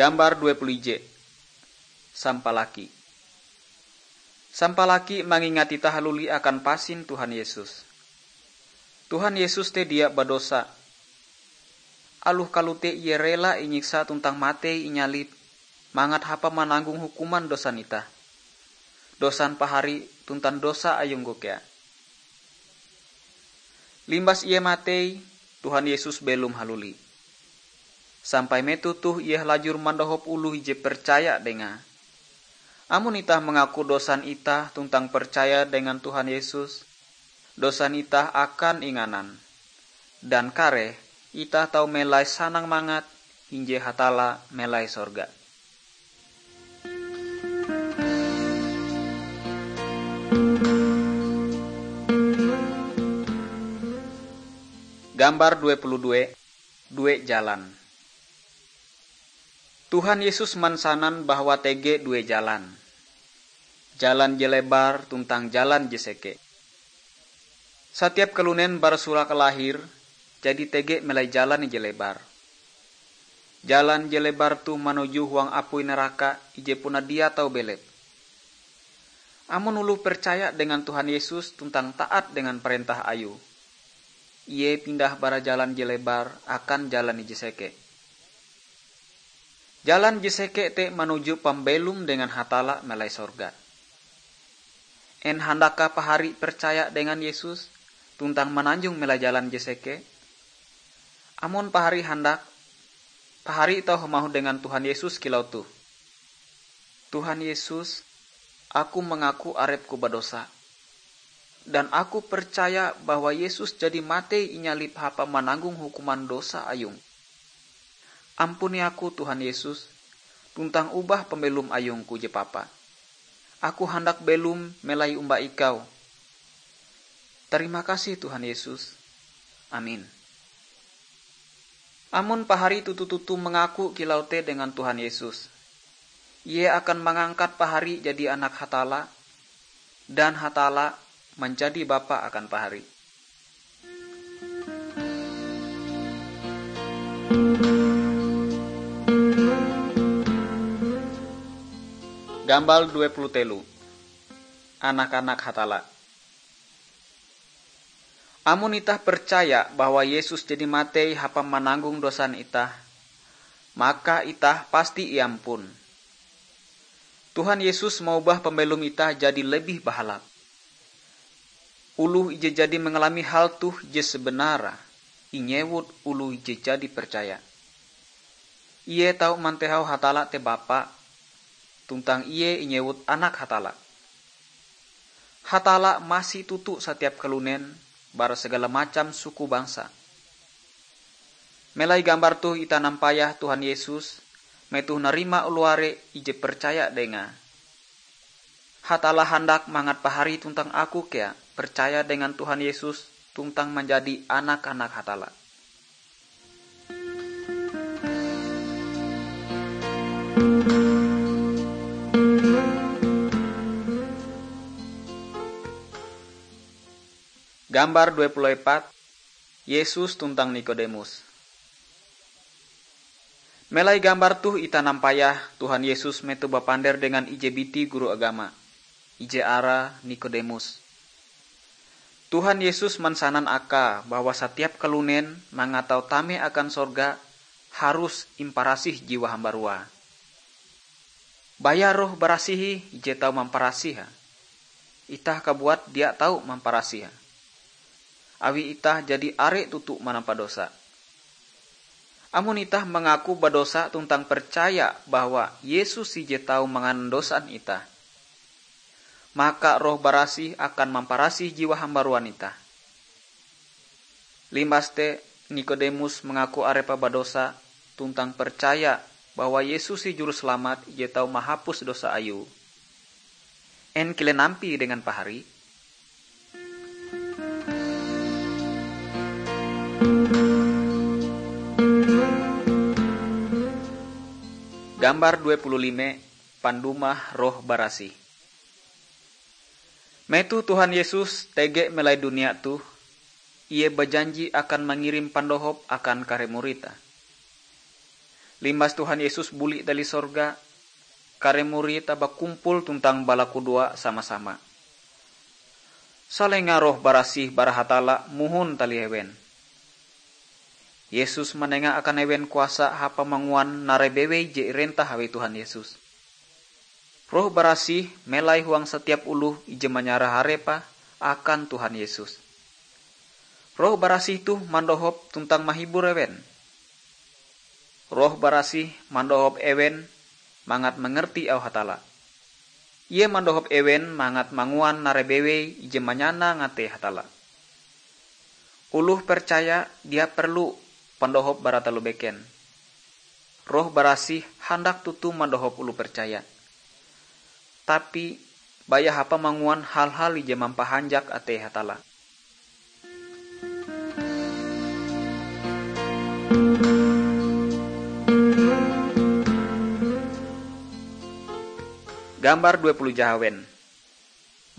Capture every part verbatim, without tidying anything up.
Gambar dua puluh ije. Sampalaki. Sampalaki mangingat itah haluli akan pasin Tuhan Yesus. Tuhan Yesus te dia badosa. Aloh kalote Ie rela inyiksa tuntang matei inyalib, mangat hapa mananggong hukuman dosan itah, dosan pahari tuntang dosa ayungku kea. Limbas Ie matei, Tuhan Yesus belom haluli. Sampai metoh toh Ie halajur mandohop oloh ije percaya Dengae. Amon itah mangaku dosan itah tuntang percaya dengan Tuhan Yesus, dosan itah akan inganan. Dan kareh itah tau melai sanang mangat hinje Hatalla melai sorga. Gambar dua puluh dua, due jalan. Tuhan Yesus mansanan bahwa tege due jalan, jalan je lebar tuntang jalan je seke. Satiap kalunen bara sura kalahir, jadi tege melai jalan ije lebar. Jalan je lebar toh manuju huang apui naraka ije puna dia tau belep. Amon oloh percaya dengan Tuhan Yesus tuntang taat dengan parentah Ayue, ie pindah bara jalan je lebar akan jalan ije seke. Jalan je seke te manuju pambelom dengan Hatalla melai sorga. En handakah pahari percaya dengan Yesus tuntang mananjong melai jalan je seke? Amon pahari handak, pahari tau hamauh dengan Tuhan Yesus kilau toh, "Tuhan Yesus, aku mangaku arepku badosa, dan aku percaya bahwa Yesus jadi matei inyalib hapa mananggong hukuman dosa ayum. Ampuni aku, Tuhan Yesus, tuntang ubah pambelom ayungku je papa. Aku handak belom melai omba Ikau." Tarima kasih, Tuhan Yesus. Amin. Amon pahari toto-toto mangaku kilau te dengan Tuhan Yesus, Ie akan mangangkat pahari jadi anak Hatalla, dan Hatalla manjadi Bapa akan pahari. Gambar dua puluh telu. Anak-anak Hatalla. Amon itah percaya bahwa Yesus jadi matei hapa mananggong dosan itah, maka itah pasti iampun. Tuhan Yesus maubah pambelom itah jadi lebih bahalap. Oloh ije jadi mangalami hal toh je sebenare inyewut oloh ije jadi percaya. Ie tau mantehau Hatalla te Bapa, tuntang Ie inyewut Anak Hatalla. Hatalla masi toto satiap kalunen bara segala macam suku bangsa. Melai gambar toh itah nampayah Tuhan Yesus metoh narima oloh are ije percaya Dengae. Hatalla handak mangat pahari tuntang aku kea percaya dengan Tuhan Yesus tuntang manjadi anak-anak Hatalla. Gambar dua puluh epat, Yesus tuntang Nikodemus. Melai gambar toh itah nampayah Tuhan Yesus metoh bapander dengan ije biti guru agama, ije arae Nikodemus. Tuhan Yesus mansanan akae bahwa satiap kalunen mangat tau tame akan sorga harus imparasih jiwa hambaruae. Baya Roh Barasih ih je tau mamparasihe. Itah kabuat dia tau mamparasihe, awi itah jadi are toto manampa dosa. Amon itah mangaku badosa tuntang percaya bahwa Yesus ije tau manganan dosan itah, maka Roh Barasih akan mamparasih jiwa hambaruan itah. Limbas te, Nikodemus mangaku arepe badosa tuntang percaya bahwa Yesus ih Juruselamat je tau mahapus dosa ayue. En kilen ampie dengan pahari? Gambar dua puluh lima, Pandumah Roh Barasih. Metoh Tuhan Yesus tege melai dunia toh, Ie bajanji akan mangirim pandohop akan kare murid-Te. Limbas Tuhan Yesus buli dali sorga, kare murid bakumpul tuntang balakudoa sama-sama. Salenga Roh Barasih bara Hatalla mohon talih ewen. Yesus manenga akan ewen kuasa hapamanguan narai bewei je irentah awi Tuhan Yesus. Roh Barasih melai huang satiap oloh ije manyarah arepe akan Tuhan Yesus. Roh Barasih toh mandohop tuntang mahibur ewen. Roh Barasih mandohop ewen mangat mangerti auh Hatalla. Ie mandohop ewen mangat manguan narai bewei ije manyanang atei Hatalla. Oloh percaya dia perlu pandohop bara taloh beken. Roh Barasih handak toto mandohop oloh percaya. Tapi, baya hapamanguan hal-hal ije mampahanjak atei Hatalla. Gambar dua puluh jahawen.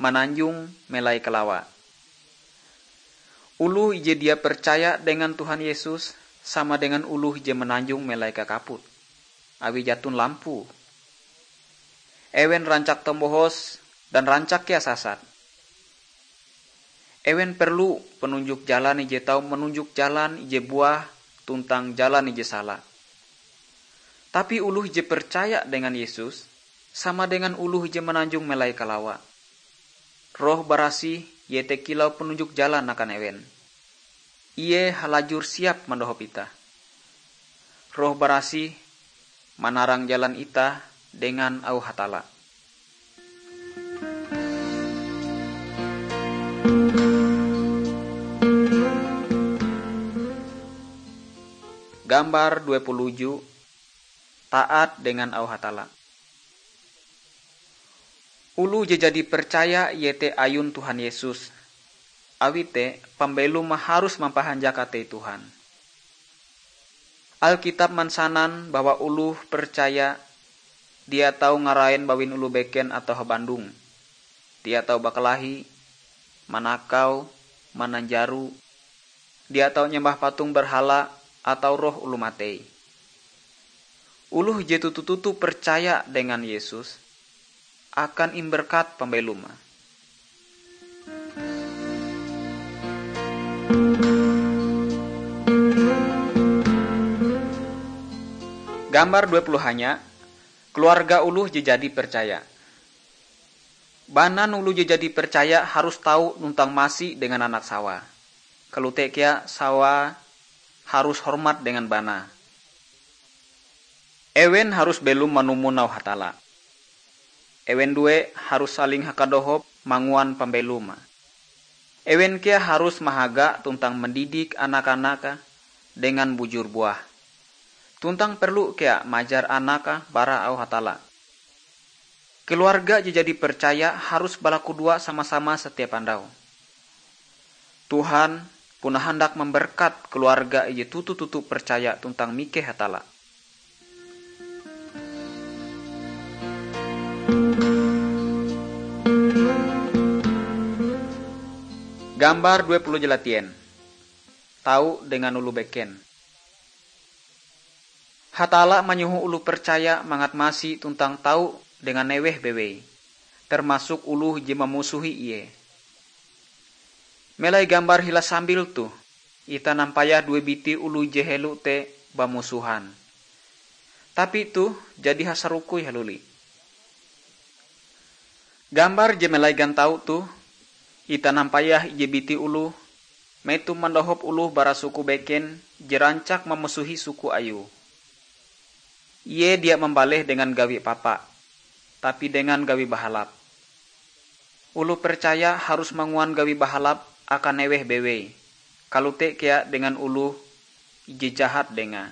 Mananjong melai kalawa. Oloh ije dia percaya dengan Tuhan Yesus sama dengan oloh ije mananjong melai kakaput, awi jaton lampu. Ewen rancak tombohos dan rancak kea sasat. Ewen perlu panunjok jalan ije tau manunjok jalan ije buah tuntang jalan ije sala. Tapi oloh ije percaya dengan Yesus, sama dengan oloh ije mananjong melai kalawa. Roh Barasih iete kilau panunjok jalan akan ewen. Ie halajur siap mandohop itah. Roh Barasih manarang jalan itah dengan auh Hatalla. Gambar dua puluh uju, taat dengan auh Hatalla. Oloh je jadi percaya iete ayun Tuhan Yesus. Awi te, pambelom harus mampahanjak atei Tuhan. Alkitab mansanan bahwa oloh percaya dia tau ngarain bawin oloh beken atau habandong. Dia tau bakalahi, manakau, mananjaro, dia tau nyembah patung berhala atau roh oloh matei. Oloh je toto-toto percaya dengan Yesus akan imberkat pambelom. Gambar dua puluh hanya, keluarga oloh je jadi percaya. Banan oloh je jadi percaya harus tau tuntang masi dengan anak sawae. Kalote kea sawae harus hormat dengan banae. Ewen harus belom manumon auh Hatalla. Ewen due harus saling hakadohop manguan pambelom. Ewen kea harus mahaga tuntang mandidik anak-anak dengan bujur buah. Tuntang perlu kea majar anak bara auh Hatalla. Keluarga je jadi percaya harus balakudoa sama-sama setiap andau. Tuhan puna handak mamberkat keluarga ije toto-toto percaya tuntang mikeh Hatalla. Gambar dua puluh jalatien. Tau dengan oloh beken. Hatalla manyoho oloh percaya mangat masi tuntang tau dengan eweh bewei, termasuk oloh je mamusohi ie. Melai gambar hila sambil toh, itah nampayah due biti oloh je helo te bamusohan. Tapi toh jadi hasarokoi haluli. Gambar je melai gantau toh, itah nampayah ije biti oloh metoh mandohop oloh bara suku beken je rancak mamusohi suku ayue. Ie dia mambaleh dengan gawi papa, tapi dengan gawi bahalap. Oloh percaya harus manguan gawi bahalap akan eweh bewei, kalote kea dengan oloh je jahat dengae.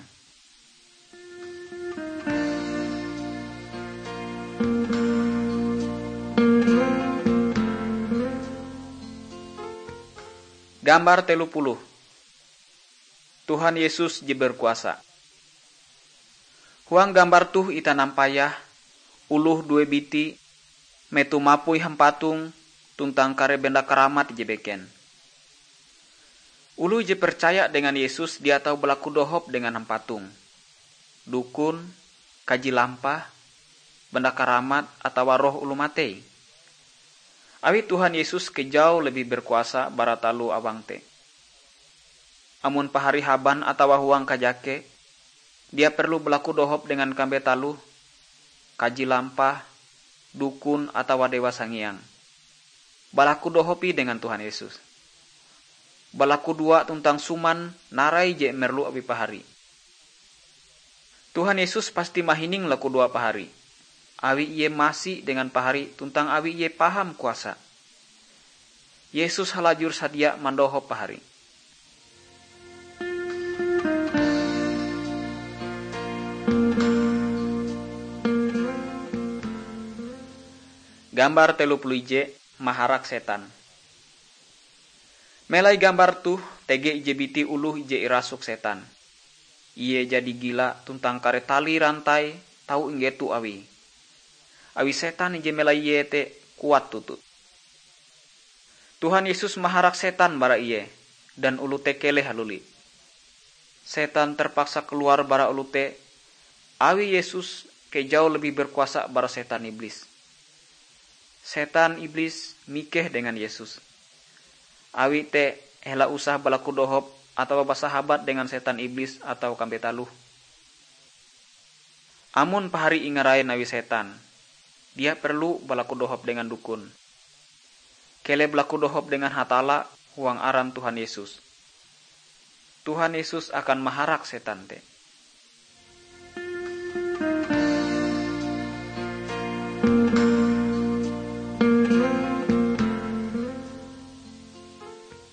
Gambar telu puluh. Tuhan Yesus je berkuasa. Huang gambar toh itah nampayah oloh due biti metoh mapui hampatong tuntang kare benda karamat ije beken. Oloh je percaya dengan Yesus dia tau balaku dohop dengan hampatong. dukun, kaji lampah, benda karamat atawa roh oloh matei. Awi Tuhan Yesus kejau lebih berkuasa bara taloh awang te. Amon pahari haban atawa huang kajake, dia perlu balaku dohop dengan kambe taloh, kaji lampah, dukun atawa dewa sangiang. Balakudohop ih dengan Tuhan Yesus. Balakudoa tuntang suman narai je merlu awi pahari. Tuhan Yesus pasti mahining lakudoa pahari, awi Ie masi dengan pahari tuntang awi Ie paham kuasa. Yesus halajur sadia mandohop pahari. Gambar telu puluh ije, maharak setan. Melai gambar toh, tege ije biti oloh ije irasuk setan. Ie jadi gila tuntang kare tali rantai tau inggeto awie. Awi setan ije melai ie te kuat toto. Tuhan Yesus maharak setan bara ie, dan oloh te keleh haluli. Setan terpaksa kaluar bara oloh te, awi Yesus kejau lebih berkuasa bara setan iblis. Setan iblis mikeh dengan Yesus. Awi te, ela usah balakudohop atawa basahabat dengan setan iblis atawa kambe taloh. Amon pahari ingarain awi setan, dia perlu balakudohop dengan dukun. Keleh balakudohop dengan Hatalla huang aran Tuhan Yesus. Tuhan Yesus akan maharak setan te.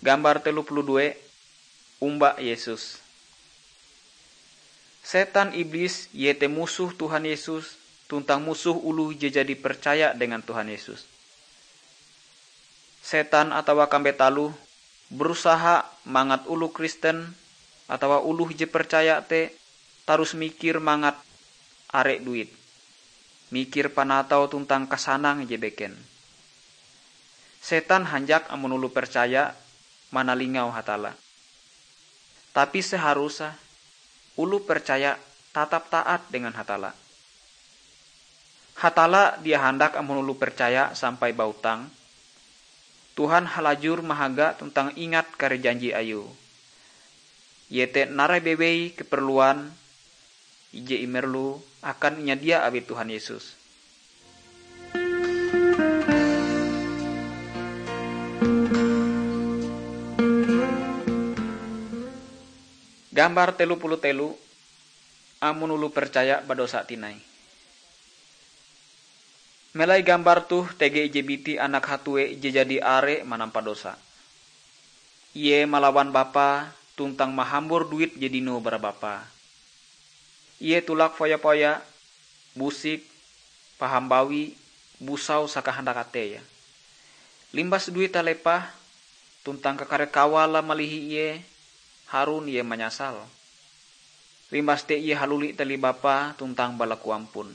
Gambar telu puluh due, omba Yesus. Setan iblis iete musoh Tuhan Yesus tuntang musoh oloh je jadi percaya dengan Tuhan Yesus. Setan atawa kambe taloh berusaha mangat oloh Kristen atawa oloh je percaya te tarus mikir mangat are duit, mikir panatau tuntang kasanang ije beken. Setan hanjak amon oloh percaya manalingau Hatalla. Tapi seharusnya oloh percaya tatap taat dengan Hatalla. Hatalla dia handak amon oloh percaya sampai bautang. Tuhan halajur mahaga tuntang ingat kare janji Ayue, iete narai bewei keperluan ije imerlu akan inyadia awi Tuhan Yesus. Gambar telu puluh telu, amon oloh percaya badosa tinai. Melai gambar toh tege ije biti anak hatue je jadi are manampa dosa. Ie malawan bapae tuntang mahambor duit je dinoe bara bapae. Ie tulak foya-foya, busik, paham bawi, busau sakahandak ateie. Limbas duite lepah, tuntang kakare kawale malihi ie, harun ie manyasal. Limbas te ie haluli talih bapae tuntang balaku ampun.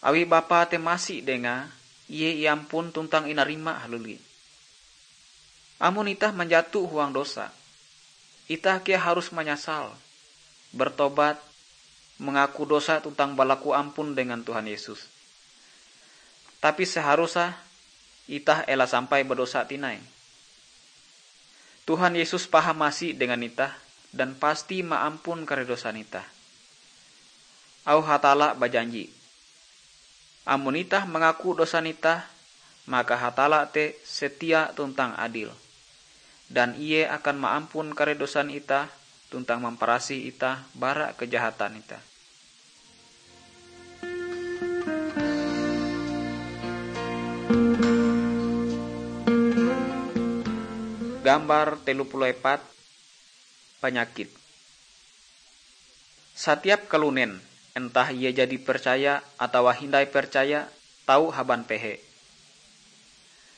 Awi bapae te masi dengae, ie iampun tuntang inarima haluli. Amon itah manjato huang dosa, itah kea harus manyasal, bertobat, mangaku dosa tuntang balaku ampun dengan Tuhan Yesus. Tapi seharusnya itah ela sampai badosa tinai. Tuhan Yesus paham masi dengan itah dan pasti maampun kare dosan itah. Auh Hatalla bajanji, amon itah mangaku dosan itah, maka Hatalla te setia tuntang adil, dan Ie akan maampun kare dosan itah tuntang mamparasih itah bara kejahatan itah. Gambar telu puluh epat, panyakit. Satiap kalunen, entah ie jadi percaya atawa hindai percaya, tau haban pehe.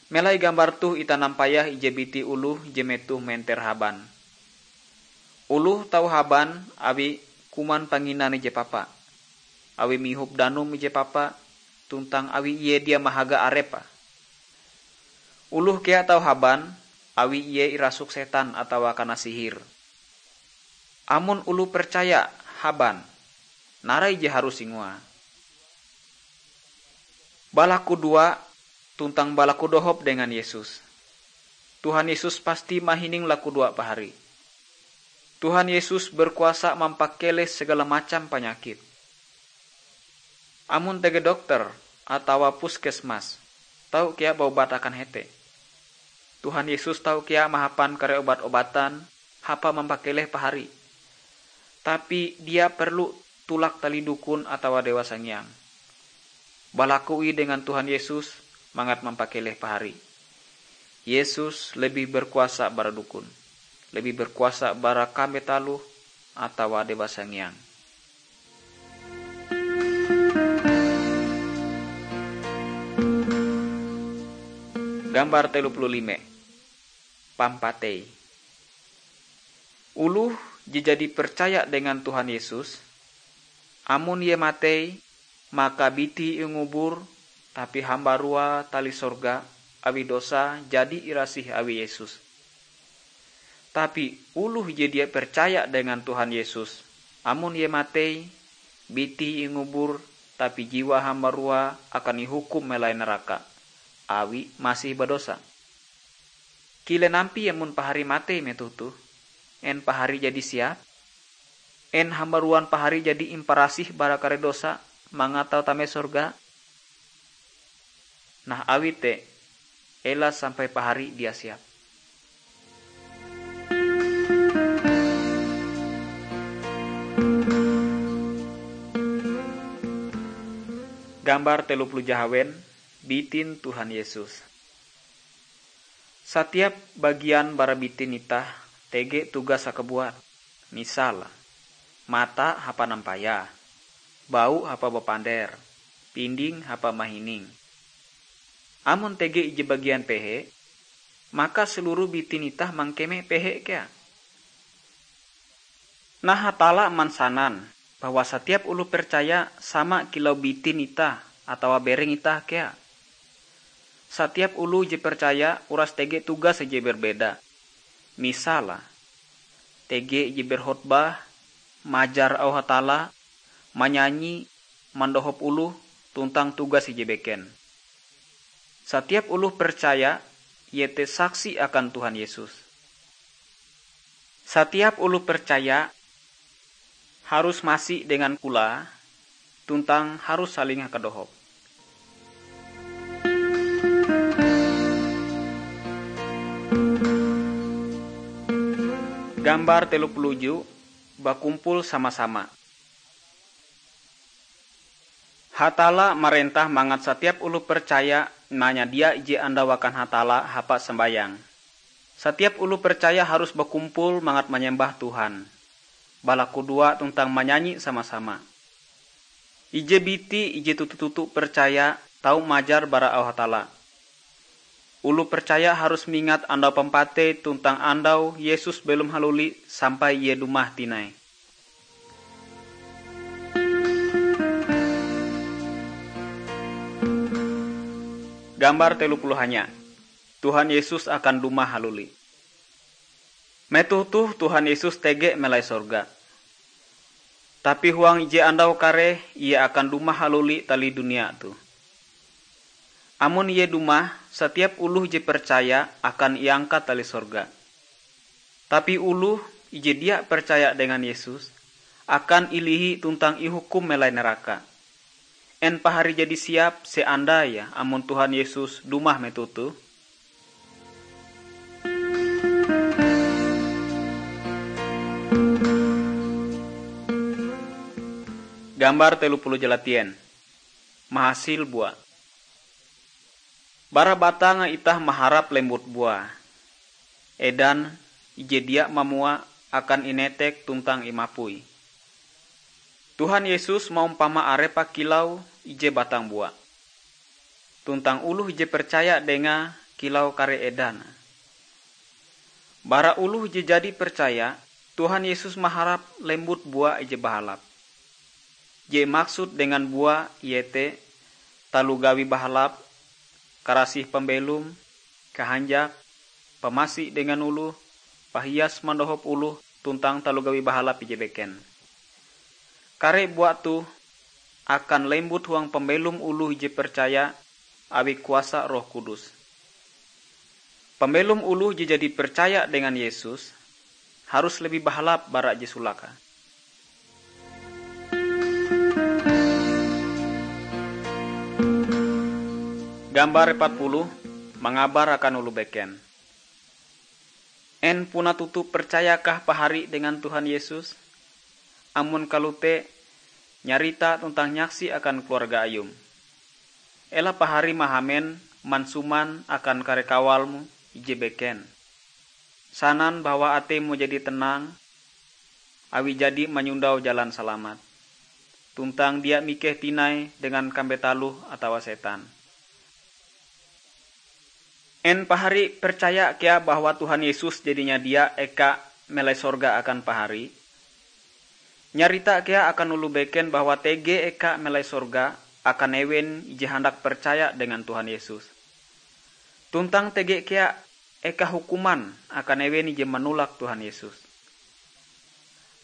Melai gambar toh itah nampayah ije biti oloh je metoh menter haban. Oloh tau haban awi kuman panginan ije papa, awi mihop danum ije papa, tuntang awi ie dia mahaga arepe. Oloh kea tau haban awi ie irasuk setan atawa kana sihir. Amon oloh percaya haban, narai je harus ingoae. Balakudoa tuntang balakudohop dengan Yesus. Tuhan Yesus pasti mahining lakudoa pahari. Tuhan Yesus berkuasa mampakeleh segala macam panyakit. Amon tege dokter atawa puskesmas, tau kea baobat akan hete. Tuhan Yesus tau kea mahapan kare obat-obatan hapan mampakeleh pahari. Tapi dia perlu tulak talih dukun atawa dewa sangiang. Balakue dengan Tuhan Yesus mangat mampakeleh pahari. Yesus lebih berkuasa bara dukun, lebih berkuasa bara kambeh taloh atawa dewa sangiang. Gambar telu puluh lime. Pampatei. Oloh je jadi percaya dengan Tuhan Yesus, amon ie matei, maka bitie ingubur, tapi hambarua talih sorga awi dosa jadi irasih awi Yesus. Tapi oloh je dia percaya dengan Tuhan Yesus, amon ie matei, bitie ingubur, tapi jiwae hambarua akan ihukum melai naraka, awi masih badosa. Kilen ampie amon pahari matei metoh toh? En pahari jadi siap? En hambaruan pahari jadi imparasih bara kare dosa mangat tau tame sorga? Nah, awi te, ela sampai pahari dia siap. Gambar telu puluh jahawen, bitin Tuhan Yesus. Satiap bagian bara bitin itah tege tugas hakabuat. Misal, mata hapan nampayah, bau hapan bapander, pinding hapan mahining. Amon tege ije bagian pehe, maka seluruh bitin itah mangkeme pehe kea. Nah, Hatalla mansanan bahwa satiap oloh percaya sama kilau bitin itah atawa bereng itah kea. Satiap oloh je percaya uras tege tugas ije berbeda. Misal, tege ije berkhotbah, majar auh Hatalla, manyanyi, mandohop oloh, tuntang tugas ije beken. Satiap oloh percaya, iete saksi akan Tuhan Yesus. Satiap oloh percaya harus masi dengan kulah tuntang harus saling hakadohop. Gambar telu puluh uju, bakumpul sama-sama. Hatalla marentah mangat satiap oloh percaya manyadia ije andau akan Hatalla hapan sambayang. Satiap oloh percaya harus bakumpul mangat manyembah Tuhan, balakudoa tuntang manyanyi sama-sama. Ije biti ije toto-toto percaya tau majar bara auh Hatalla. Oloh percaya harus mingat andau pampatei tuntang andau Yesus belom haluli sampai Ie dumah tinai. Gambar telu puluh hanya. Tuhan Yesus akan dumah haluli. Metoh toh Tuhan Yesus tege melai sorga. Tapi huang ije andau kareh Ie akan dumah haluli talih dunia toh. Amon Ie dumah, satiap oloh je percaya akan iangkat talih sorga. Tapi oloh ije dia percaya dengan Yesus akan ilihi tuntang ihukum melai naraka. En pahari jadi siap seandai amon Tuhan Yesus dumah metoh toh? Gambar telu puluh jalatien. Mahasil bua. Bara batang itah maharap lembut bua. Edan ije dia mamua akan inetek tuntang imapui. Tuhan Yesus maumpama Arepe kilau ije batang bua, tuntang oloh je percaya Dengae kilau kare edan. Bara oloh je jadi percaya, Tuhan Yesus maharap lembut bua ije bahalap. Je imaksud dengan bua iete taloh gawi bahalap, karasih pambelom, kahanjak, pamasi dengan oloh, pahias mandohop oloh, tuntang taloh gawi bahalap ije beken. Kare bua toh akan lembut huang pambelom oloh je percaya awi kuasa Roh Kudus. Pambelom oloh je jadi percaya dengan Yesus harus lebih bahalap bara je sulake. Gambar empat puluh, mangabar akan oloh beken. En puna toto percayakah pahari dengan Tuhan Yesus? Amon kalote, nyarita tuntang nyaksi akan keluarga ayum. Ela pahari mahamen mansuman akan kare kawalmu ije beken, sanan bahwa ateimu jadi tenang, awi jadi manyondau jalan salamat, tuntang dia mikeh tinai dengan kambe taloh atawa setan. En pahari percaya kea bahwa Tuhan Yesus jadi nyadia eka melai sorga akan pahari? Nyarita kea akan oloh beken bahwa tege eka melai sorga akan ewen ije handak percaya dengan Tuhan Yesus. Tuntang tege kea eka hukuman akan ewen ije manolak Tuhan Yesus.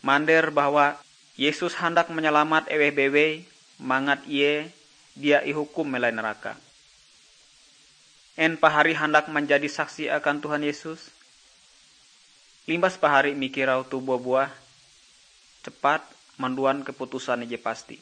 Mander bahwa Yesus handak manyalamat eweh bewei mangat ie dia ihukum melai neraka. En pahari handak manjadi saksi akan Tuhan Yesus? Limbas pahari mikir auh toh bua-buah, cepat manduan keputusan ije pasti.